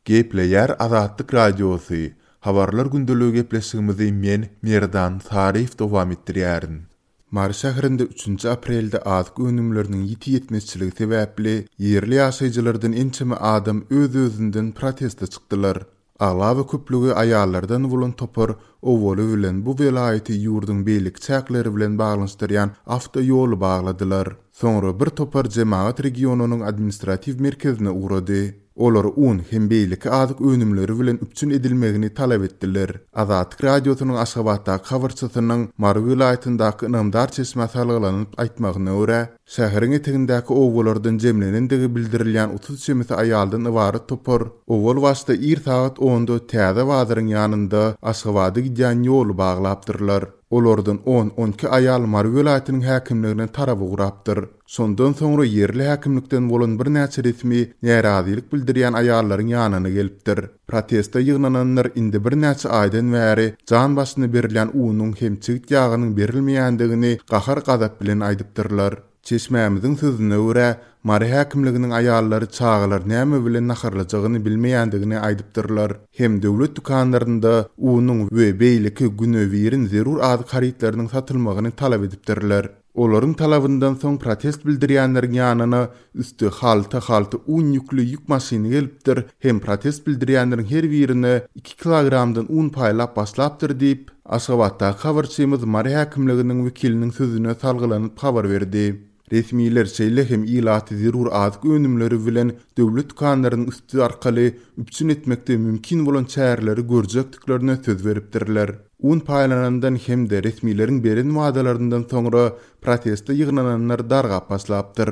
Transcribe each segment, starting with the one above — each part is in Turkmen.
Gepleýär Azatlyk Radiosy, Habarlar gündeligi gepleşigimizi men, Merdan Saryýew dowam etdirýärin. Mary şäherinde üçünji aprelde azyk önümleriniň ýiti ýetmezçiligi sebäpli, ýerli ýaşaýjylardan ençeme adam öz-özünden proteste çykdylar. Aglaba köplügi aýallardan bolan topar owaly bilen bu welaýaty ýurduň beýleki çäkleri bilen baglanyşdyrýan awtoýoly bagladylar. Soňra bir topar jemagat regionynyň administratiw merkezine ugrady. Olar un hem beýleki azyk önümleri bilen üpjün edilmegini talap etdiler. Azatlyk Radiosynyň Aşgabatdaky habarçysynyň Mary welaýatyndaky ynamdar çeşmä salgylanyp aýtmagyna görä, şäheriň etegindäki obalardan jemlenendigi bildirilýän 30 çemesi aýaldan ybarat topar owal başda ir sagat onda Täze bazaryň ýanynda Aşgabada gidýän ýoly baglapdyrlar. Olardan on-on iki aýal Mary welaýatynyň häkimligine tarap ugrapdyr. Şondan soňra ýerli häkimlikden bolan birnäçe resmi närazylyk bildirýän aýallaryň ýanyna gelipdir. Proteste ýygnananlar indi birnäçe aýdan bäri jan başyna berilýän unuň hem çigit ýagynyň berilmeýändigini gahar-gazap bilen aýdypdyrlar. Çeşmämiziň sözüne görä, Mary häkimliginiň aýallary çagalar näme bilen naharlajagyny bilmeýändigini aýdypdyrlar hem döwlet dükanlarynda unuň we beýleki güne-birin zerur azyk harytlarynyň satylmagyny talap edipdirler. Olaryň talabyndan soň protest bildirýänleriň ýanyna üsti halta-halta un ýükli ýük maşyny gelipdir hem protest bildirýänleriň her birine iki kilogramdan un paýlap başlapdyr diýip, Aşgabatdaky habarçymyz Mary häkimliginiň wekiliniň sözüne salgylanyp habar berdi. Resmiler şeýle hem ilaty zerur azyk önümleri bilen döwlet dükanlarynyň üsti arkaly üpjün etmekde mümkin bolan çäreleri görjekdiklerine söz beripdirler. Un paýlanandan hem-de resmileriň beren wadalaryndan soňra proteste ýygnananlar dargap başlapdyr.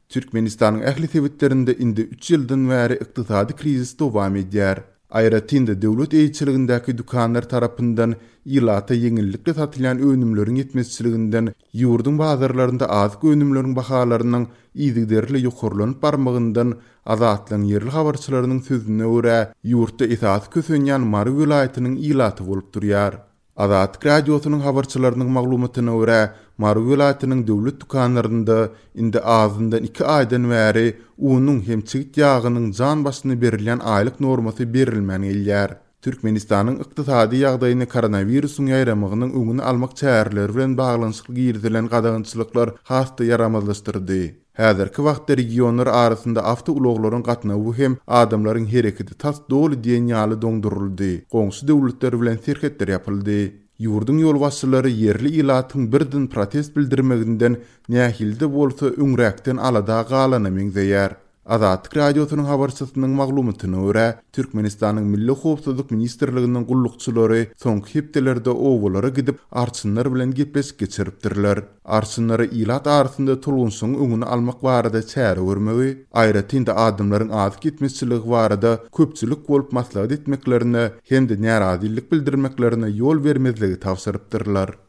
Türkmenistanyň ähli sebitlerinde indi üç ýyldan bäri ykdysady krizis dowam edýär. Aýratyn-da döwlet eýeçiligindäki dükanlar tarapyndan ilata ýeňillikli satylýan önümleriň ýetmezçiliginden ýurduň bazarlarynda azyk önümleriň bahalarynyň yzygiderli ýokarlanyp barmagyndan Azatlygyň ýerli habarçylarynyň sözüne görä, ýurtda esasy kösenýän Mary welaýatynyň ilaty bolup durýar. Azatlyk Radiosynyň habarçylarynyň maglumatyna görä, Mary welaýatynyň döwlet dükanlarynda indi azyndan iki aýdan bäri unuň hem çigit ýagynyň jan başyna berilýän aýlyk normasy berilmän gelýär. Türkmenistanyň ykdysady ýagdaýyny koronawirusyň ýaýramagynyň öňüni almak çäreleri bilen baglanyşykly girizilen gadagançylyklar has-da ýaramazlaşdyrdy. Häzirki wagtda regionlar arasynda awtoulaglaryň gatnawy hem adamlaryň hereketi tas doly diýen ýaly doňduryldy, goňşy döwletler bilen serhetler ýapyldy. Ýurduň ýolbaşçylary ýerli ilatyň birden protest bildirmeginden nähili-de bolsa öňräkden alada galana meňzeýär. Azatlyk Radiosynyň habarçysynyň maglumatyna görä, Türkmenistanyň Milli howpsuzlyk ministrliginiň gullukçylary soňky hepdelerde obalara gidip, arçynlar bilen gepleşik geçiripdirler. Arçynlara ilat arasynda tolgunşygyň öňüni almak barada çäre görmegi, aýratyn-da adamlaryň azyk ýetmezçiligi barada köpçülik bolup maslahat etmeklerine hem-de närazylyk bildirmeklerine ýol bermezligi tabşyrypdyrlar.